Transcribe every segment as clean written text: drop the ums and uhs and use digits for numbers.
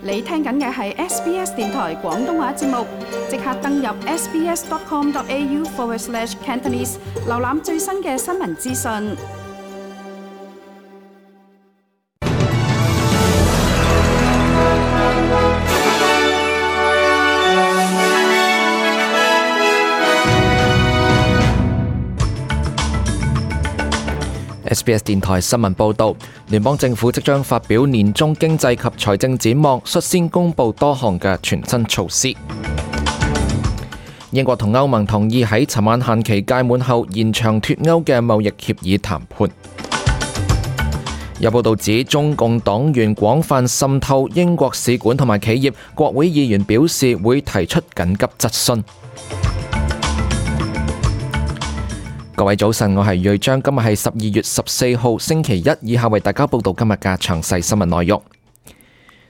你聽緊嘅係 SBS 電台廣東話節目，即刻登入 sbs.com.au/Cantonese 瀏覽最新嘅新聞資訊。SBS 電台新聞報導，聯邦政府即將發表年中經濟及財政展望，率先公布多項嘅全新措施。英國同歐盟同意喺尋晚限期屆滿後延長脫歐嘅貿易協議談判。有報導指中共黨員廣泛滲透英國使館同埋企業，國會議員表示會提出緊急質詢。各位早晨，我係瑞章，今日係12月14號星期一，以下為大家報道今日嘅詳細新聞內容。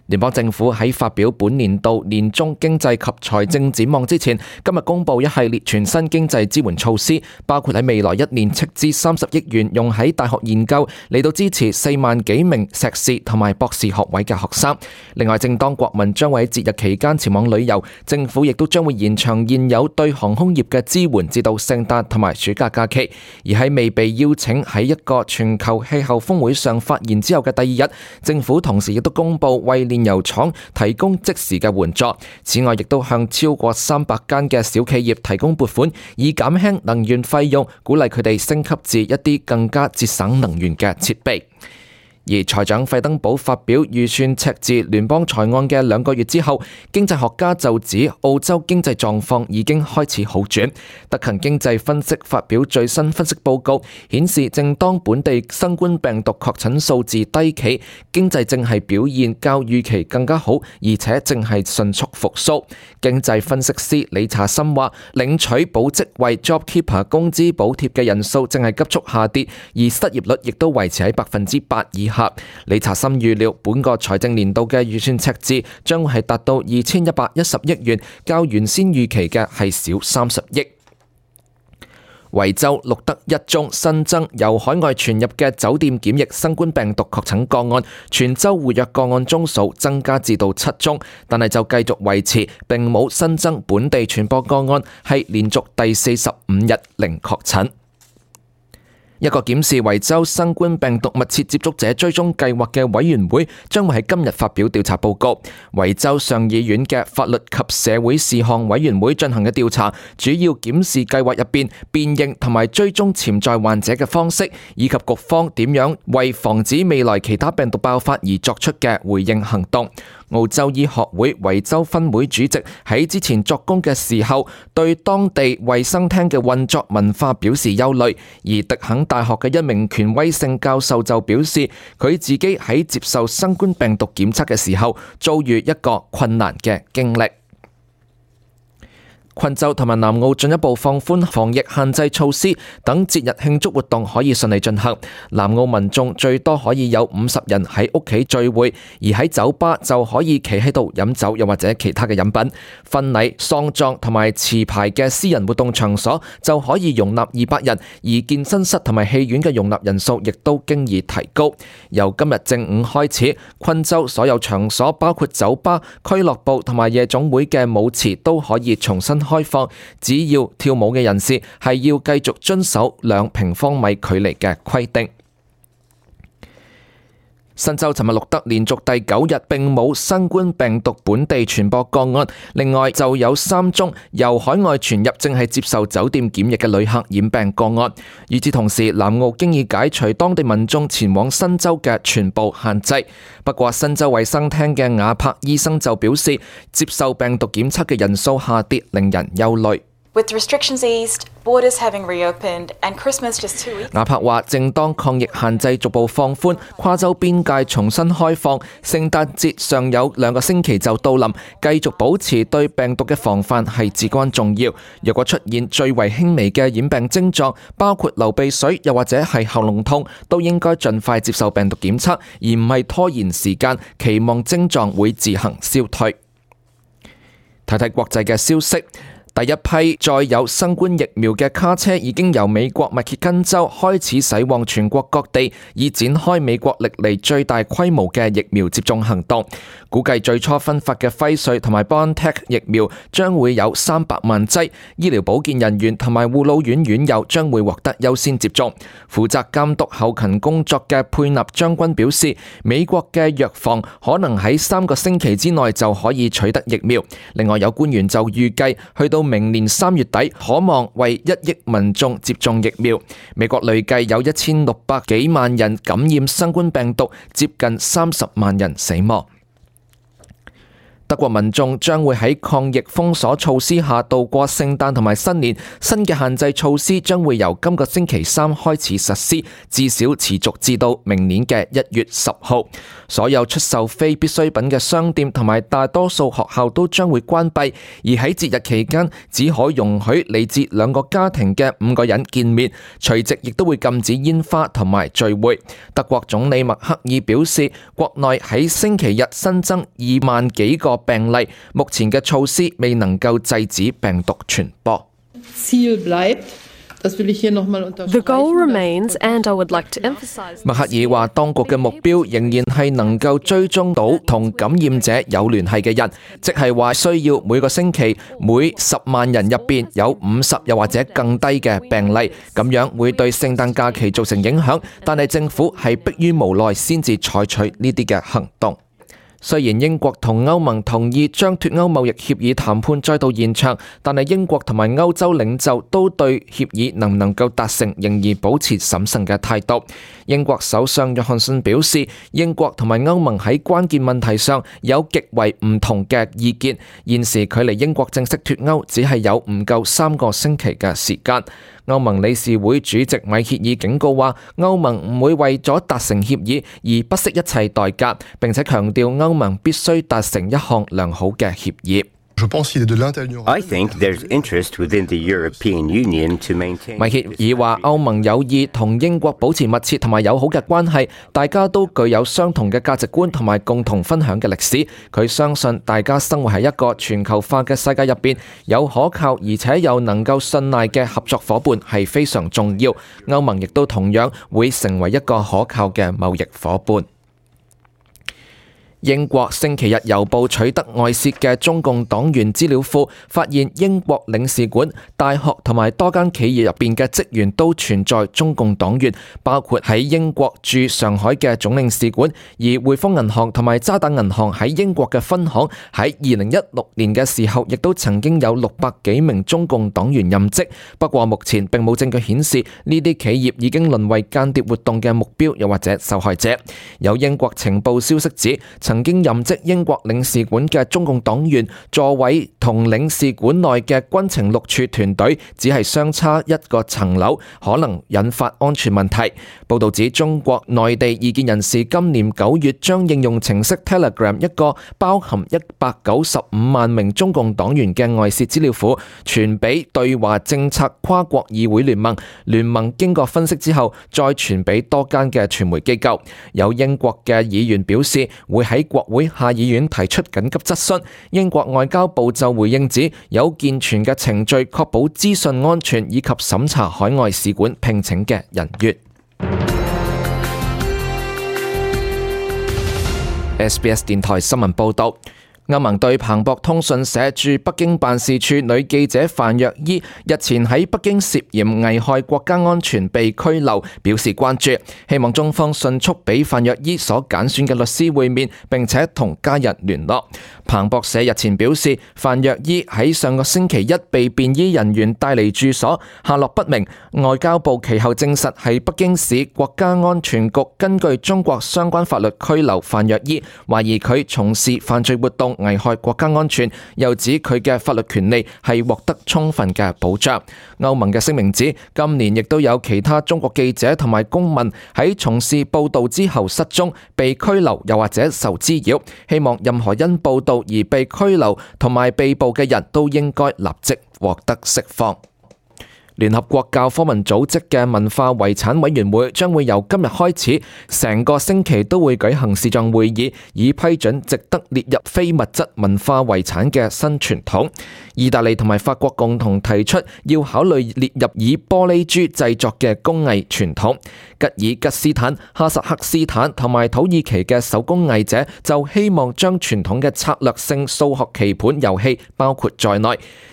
聯邦政府喺發表本年度年中經濟及財政展望之前，今日公布一系列全新經濟支援措施，包括喺未來一年斥資30億元用喺大學研究，嚟到支持4萬幾名碩士同埋博士學位嘅學生。另外，正當國民將會喺節日期間前往旅遊，政府亦都將會延長現有對航空業嘅支援至到聖誕同埋暑假假期。而喺未被邀請喺一個全球氣候峰會上發言之後嘅第二日，政府同時亦都公布為煉油廠提供即時嘅援助，此外亦都向超過300間嘅小企業提供撥款，以減輕能源費用，鼓勵佢哋升級至一啲更加節省能源嘅設備。而財長費登堡發表預算赤字聯邦財案嘅2個月之後，經濟學家就指澳洲經濟狀況已經開始好轉。德勤經濟分析發表最新分析報告，顯示正當本地新冠病毒確診數字低企，經濟正係表現較預期更加好，而且正係迅速復甦。經濟分析師理查森話，領取保職位 JobKeeper 工資補貼嘅人數正係急速下跌，而失業率亦都維持喺8%以下。理查森預料本個財政年度嘅預算赤字將會係達到2110億元，較原先預期嘅係少30億。維州錄得1宗新增由海外傳入嘅酒店檢疫新冠病毒確診個案，全州活躍個案宗數增加至到7宗，但係就繼續維持並冇新增本地傳播個案，係連續第45日零確診。一個檢視維州新冠病毒密切接觸者追蹤計劃嘅委員會將會喺今日發表調查報告。維州上議院嘅法律及社會事項委員會進行嘅調查，主要檢視計劃入邊辨認同埋追蹤潛在患者嘅方式，以及局方點樣為防止未來其他病毒爆發而作出嘅回應行動。澳洲醫學會維州分會主席喺之前作供嘅時候，對當地衛生廳嘅運作文化表示憂慮，而迪肯大學嘅一名權威性教授就表示，佢自己喺接受新冠病毒檢測嘅時候，遭遇一個困難嘅經歷。昆州同埋南澳進一步放寬防疫限制措施，等節日慶祝活動可以順利進行。南澳民眾最多可以有50人喺屋企聚會，而喺酒吧就可以企喺度飲酒，又或者其他嘅飲品。婚禮、喪葬同埋持牌嘅私人活動場所就可以容納200人，而健身室同埋戲院嘅容納人數亦都經已提高。由今日正午開始，昆州所有場所包括酒吧、俱樂部同埋夜總會嘅舞池都可以重新開放，只要跳舞嘅人士係要繼續遵守2平方米距離嘅規定。新州尋日錄得連續第9日並冇新冠病毒本地傳播個案，另外就有3宗由海外傳入正係接受酒店檢疫嘅旅客染病個案。與此同時，南澳經已解除當地民眾前往新州嘅全部限制。不過，新州衛生廳嘅亞柏醫生就表示，接受病毒檢測嘅人數下跌，令人憂慮。With restrictions eased, borders having reopened, and Christmas just 2 weeks. 亞柏話，正當抗疫限制逐步放寬，跨州邊界重新開放，聖誕節尚有2個星期就到臨，繼續保持對病毒嘅防範係至關重要。若果出現最為輕微嘅染病症狀，包括流鼻水又或者係喉嚨痛，都應該盡快接受病毒檢測，而唔係拖延時間，期望症狀會自行消退。睇睇國際嘅消息。第一批載有新冠疫苗嘅卡車已經由美國密歇根州開始駛往全國各地，以展開美國歷嚟最大規模嘅疫苗接種行動。估計最初分發嘅輝瑞同埋 BioNTech 疫苗將會有300萬劑，醫療保健人員同埋護老院院友將會獲得優先接種。負責監督後勤工作嘅佩納將軍表示，美國嘅藥房可能喺3個星期之內就可以取得疫苗。另外有官員就預計去到明年3月底，可望為1億民眾接種疫苗。美國累計有1600幾萬人感染新冠病毒，接近30萬人死亡。德國民眾將會喺抗疫封鎖措施下度過聖誕同埋新年。新嘅限制措施將會由今個星期3開始實施，至少持續至到明年嘅1月10號。所有出售非必需品嘅商店同埋大多數學校都將會關閉，而喺節日期間只可容許嚟自2個家庭嘅5個人見面。除夕亦都會禁止煙花同埋聚會。德國總理默克爾表示，國內喺星期日新增2萬幾個病例，目前嘅措施未能夠制止病毒傳播。The goal remains, and I would like to emphasize. 默克爾話，當局嘅目標仍然係能夠追蹤到同感染者有聯繫嘅人，即係話需要每個星期每10萬人入邊有50又或者更低嘅病例，咁樣會對聖誕假期造成影響，但係政府係迫於無奈先至採取呢啲嘅行動。雖然英國同歐盟同意將脫歐貿易協議談判再度延長，但係英國同埋歐洲領袖都對協議能唔能夠達成仍然保持審慎嘅態度。英國首相約翰遜表示，英國同埋歐盟喺關鍵問題上有極為唔同嘅意見，現時距離英國正式脫歐只係有唔夠3個星期嘅時間。歐盟理事會主席米歇爾警告話，歐盟唔會為咗達成協議而不惜一切代價，並且強調歐盟必須達成一項良好嘅協議。I think there's interest within the European Union to maintain. 米歇爾話，歐盟有意同英國保持密切同埋友好嘅關係，大家都具有相同嘅價值觀同埋共同分享嘅歷史。佢相信大家生活喺一個全球化嘅世界入邊，有可靠而且又能夠信賴嘅合作夥伴係非常重要。歐盟亦都同樣會成為一個可靠嘅貿易夥伴。英國星期日郵報取得外泄嘅中共黨員資料庫，發現英國領事館、大學同埋多間企業入邊嘅職員都存在中共黨員，包括喺英國駐上海嘅總領事館，而匯豐銀行同埋渣打銀行喺英國嘅分行喺2016年嘅時候，亦都曾經有600幾名中共黨員任職。不過目前並冇證據顯示呢啲企業已經淪為間諜活動嘅目標，又或者受害者。有英國情報消息指，曾經任職英國領事館嘅中共黨員座位同領事館內嘅軍情六處團隊只係相差1個層樓，可能引發安全問題。報道指，中國內地異見人士今年9月將應用程式 Telegram 一個包含195萬名中共黨員嘅外泄資料庫傳俾對華政策跨國議會聯盟，聯盟經過分析之後再傳俾多間嘅傳媒機構。有英國嘅議員表示會喺國會下議院提出緊急質詢，英國外交部就回應指有健全嘅程序確保資訊安全以及審查海外使館聘請嘅人員。SBS 電台新聞報道。歐盟對彭博通訊社駐北京辦事處女記者范若依日前喺北京涉嫌危害國家安全被拘留表示關注，希望中方迅速俾范若依所揀選嘅律師會面，並且同家人聯絡。彭博社日前表示，范若依喺上個星期一被便衣人員帶離住所，下落不明。外交部其後證實係北京市國家安全局根據中國相關法律拘留范若依，懷疑佢從事犯罪活動危害國家安全，又指佢嘅法律權利係獲得充分嘅保障。歐盟嘅聲明指，今年亦都有其他中國記者同埋公民喺從事報道之後失蹤、被拘留又或者受滋擾，希望任何因報道而被拘留同埋被捕嘅人都應該立即獲得釋放。聯合國教科文組織嘅文化遺產委員會將會由今日開始，成個星期都會舉行視像會議，以批准值得列入非物質文化遺產嘅新傳統。意大利同埋法國共同提出要考慮列入以玻璃珠製作嘅工藝傳統。吉爾吉斯坦、哈薩克斯坦同埋土耳其嘅手工藝者就希望將傳統嘅策略性數學棋盤遊戲包括在內。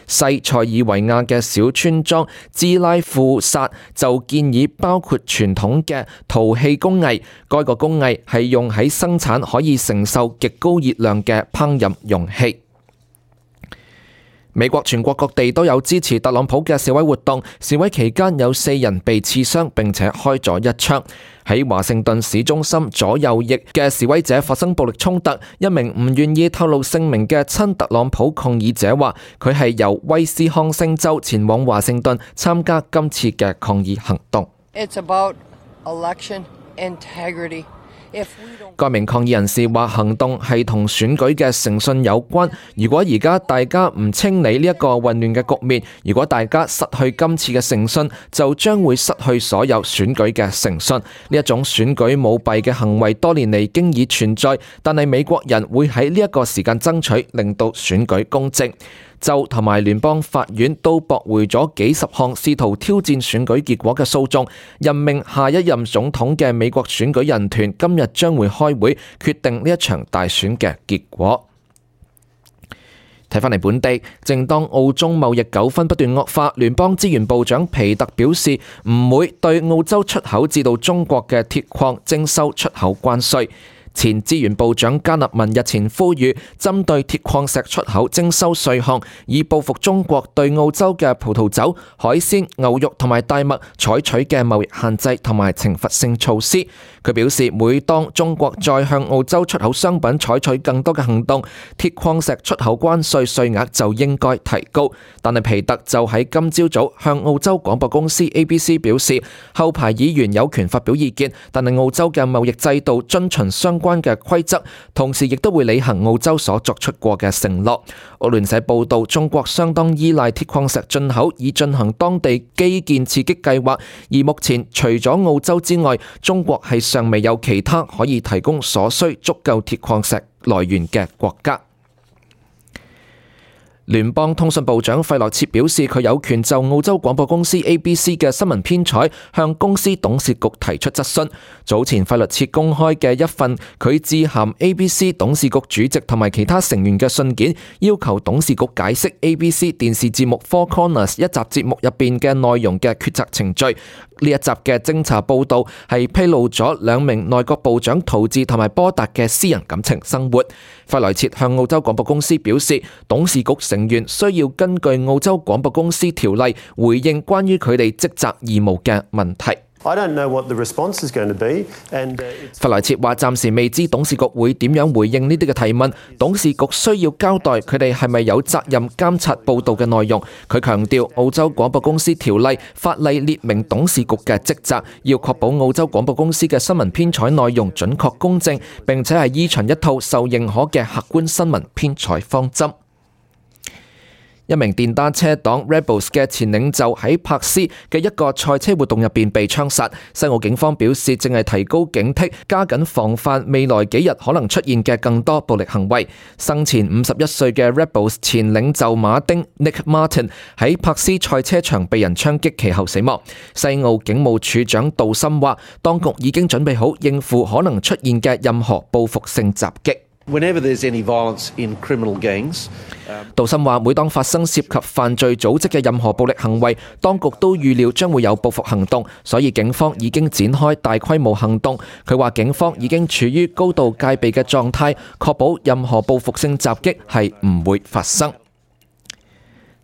西塞爾維亞嘅小村莊茲拉庫薩就建議包括傳統嘅陶器工藝，該個工藝係用喺生產可以承受極高熱量嘅烹飪容器。美國全國各地都有支持特朗普嘅示威活動，示威期間有4人被刺傷並且開咗一槍。喺華盛頓市中心左右翼嘅示威者發生暴力衝突，一名唔願意透露姓名嘅親特朗普抗議者話，佢係由威斯康星州前往華盛頓參加今次嘅抗議行動。It's about election integrity. 該名抗議人士話，行動係同選舉嘅誠信有關。如果而家大家唔清理呢一個混亂嘅局面，如果大家失去今次嘅誠信，就將會失去所有選舉嘅誠信。呢一種選舉舞弊嘅行為多年嚟經已存在，但係美國人會喺呢一個時間爭取，令到選舉公正。州同埋聯邦法院都駁回咗幾十項試圖挑戰選舉結果嘅訴訟，任命下一任總統嘅美國選舉人團今日將會開會決定呢一場大選嘅結果。睇返嚟本地，正當澳中貿易糾紛不斷惡化，聯邦資源部長皮特表示唔會對澳洲出口至到中國嘅鐵礦徵收出口關稅。前資源部長加納文日前呼籲，針對鐵礦石出口徵收稅項，以報復中國對澳洲嘅葡萄酒、海鮮、牛肉同埋大麥採取嘅貿易限制同埋懲罰性措施。佢表示，每當中國再向澳洲出口商品採取更多嘅行動，鐵礦石出口關稅稅額就應該提高。但係皮特就喺今朝早向澳洲廣播公司 ABC 表示，後排議員有權發表意見，但係澳洲嘅貿易制度遵循相關嘅規則，同時亦都會履行澳洲所作出過嘅承諾。澳聯社報道，中國相當依賴鐵礦石進口以進行當地基建刺激計劃，而目前除咗澳洲之外，中國係尚未有其他可以提供所需足夠鐵礦石來源嘅國家。聯邦通訊部長費萊切表示，佢有權就澳洲廣播公司 ABC 嘅新聞編採向公司董事局提出質詢。早前費萊切公開嘅一份佢致函 ABC 董事局主席同埋其他成員嘅信件，要求董事局解釋 ABC 電視節目 Four Corners 一集節目入邊嘅內容嘅決策程序。呢一集嘅偵查報導係披露咗2名內閣部長陶治同埋波達嘅私人感情生活。費萊切向澳洲廣播公司表示，董事局成員需要根據澳洲廣播公司條例回應關於佢哋職責義務嘅問題。費萊切話暫時未知董事局會點樣回應呢啲嘅提問，董事局需要交代佢哋係咪有責任監察報導嘅內容。佢強調澳洲廣播公司條例法例列明董事局嘅職責，要確保澳洲廣播公司嘅新聞編採內容準確公正，並且係依循一套受認可嘅客觀新聞編採方針。一名電單車黨 Rebels 嘅前領袖喺柏斯嘅一個賽車活動入邊被槍殺。西澳警方表示正係提高警惕，加緊防範未來幾日可能出現嘅更多暴力行為。生前51歲嘅 Rebels 前領袖馬丁 Nick Martin 喺柏斯賽車場被人槍擊，其後死亡。西澳警務處長杜森話，當局已經準備好應付可能出現嘅任何報復性襲擊。杜森話，每當發生涉及犯罪組織嘅任何暴力行為，當局都預料將會有報復行動，所以警方已經展開大規模行動。佢話警方已經處於高度戒備嘅狀態，確保任何報復性襲擊係唔會發生。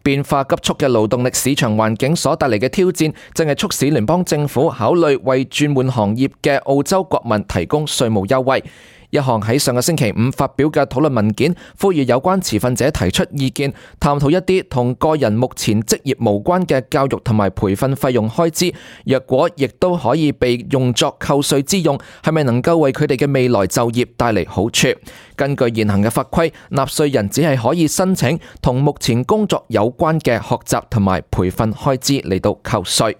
變化急速嘅勞動力市場環境所帶嚟嘅挑戰，正係促使聯邦政府考慮為轉換行業嘅澳洲國民提供稅務優惠。一項喺上個星期五發表嘅討論文件，呼籲有關持份者提出意見，探討一啲同個人目前職業無關嘅教育同埋培訓費用開支，若果亦都可以被用作扣稅之用，係咪能夠為佢哋嘅未來就業帶嚟好處？根據現行嘅法規，納稅人只係可以申請同目前工作有關嘅學習同埋培訓開支嚟到扣稅。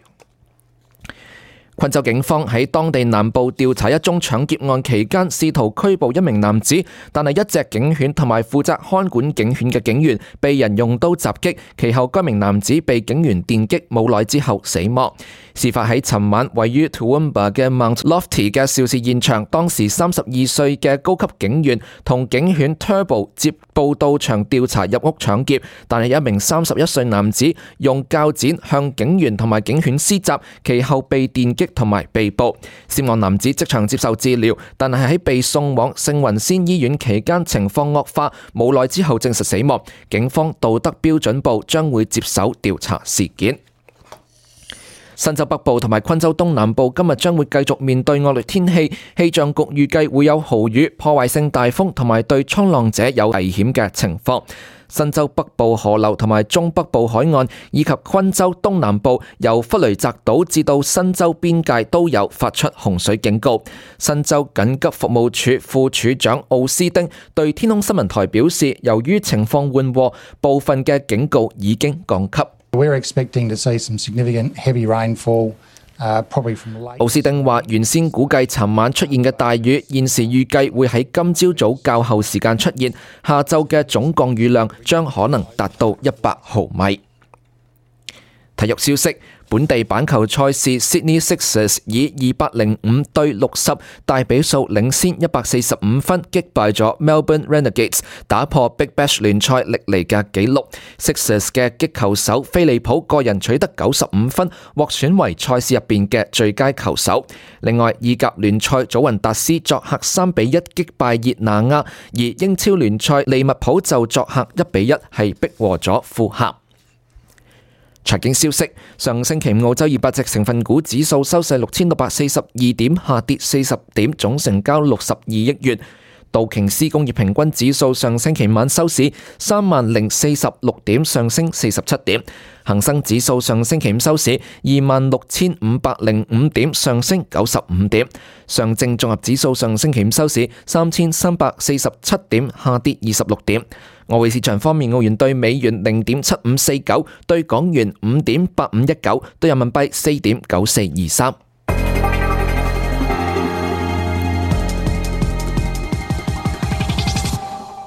昆州警方喺當地南部調查一宗搶劫案期間，試圖拘捕一名男子，但係一隻警犬同埋負責看管警犬嘅警員被人用刀襲擊，其後該名男子被警員電擊，冇耐之後死亡。事發喺尋晚，位於 Toowoomba 嘅 Mount Lofty 嘅肇事現場，當時32歲嘅高級警員同警犬 Turbo 接報到場調查入屋搶劫，但係一名31歲男子用鉸剪向警員同埋警犬施襲，其後被電擊同埋被捕。涉案男子即場接受治療，但係喺被送往聖雲仙醫院期間情況惡化，冇耐之後證實死亡。警方道德標準部將會接手調查事件。新州北部同埋昆州東南部今日將會繼續面對惡劣天氣，氣象局預計會有豪雨、破壞性大風同埋對衝浪者有危險嘅情況。新州北部河流同埋中北部海岸以及昆州東南部由弗雷澤島至到新州邊界都有發出洪水警告。新州緊急服務處副處長奧斯丁對天空新聞台表示，由於情況緩和，部分嘅警告已經降級。We're expecting to see some significant heavy rainfall, probably from the lake. 奧斯丁話：原先估計尋晚出現嘅大雨，現時預計會喺今朝早較後時間出現，下晝嘅總降雨量將可能達到100毫米。體育消息。本地板球賽事 Sydney Sixers 以205對60大比數領先145分擊敗咗 Melbourne Renegades， 打破 Big Bash 聯賽歷嚟嘅紀錄。Sixers 嘅擊球手菲利普個人取得95分，獲選為賽事入邊嘅最佳球手。另外，意甲聯賽祖雲達斯作客3-1擊敗熱那亞，而英超聯賽利物浦就作客1-1係逼和咗富咸。財經消息，上星期五澳洲200隻成分股指數收市6642點，下跌40點，總成交62億元。道瓊斯工業平均指數上星期晚收市30046點，上升47點。恒生指數上星期五收市26505點，上升95點。上證綜合指數上星期五收市3347點，下跌26點。外匯市場方面，澳元兌美元0.7549，兌港元5.8519，兌人民幣4.9423。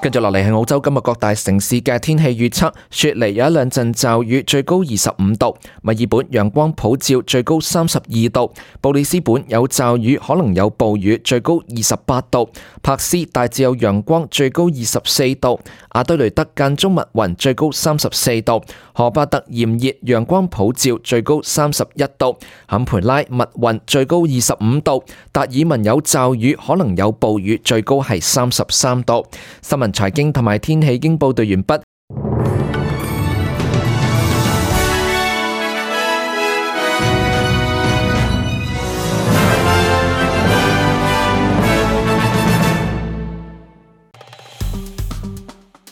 跟住落嚟係澳洲今日各大城市嘅天氣預測，雪梨有一兩陣驟雨，最高25度；墨爾本陽光普照，最高32度；布里斯本有驟雨，可能有暴雨，最高28度；柏斯大致有陽光，最高24度；阿德雷德間中密雲，最高34度；荷巴特炎熱，陽光普照，最高31度；坎培拉密雲，最高25度；達爾文有驟雨，可能有暴雨，最高係33度。新聞財經同埋天氣已經報道完畢。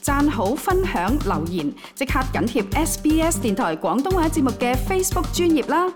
讚好、分享、留言，即刻緊貼SBS 電台廣東話節目嘅 Facebook 專頁啦！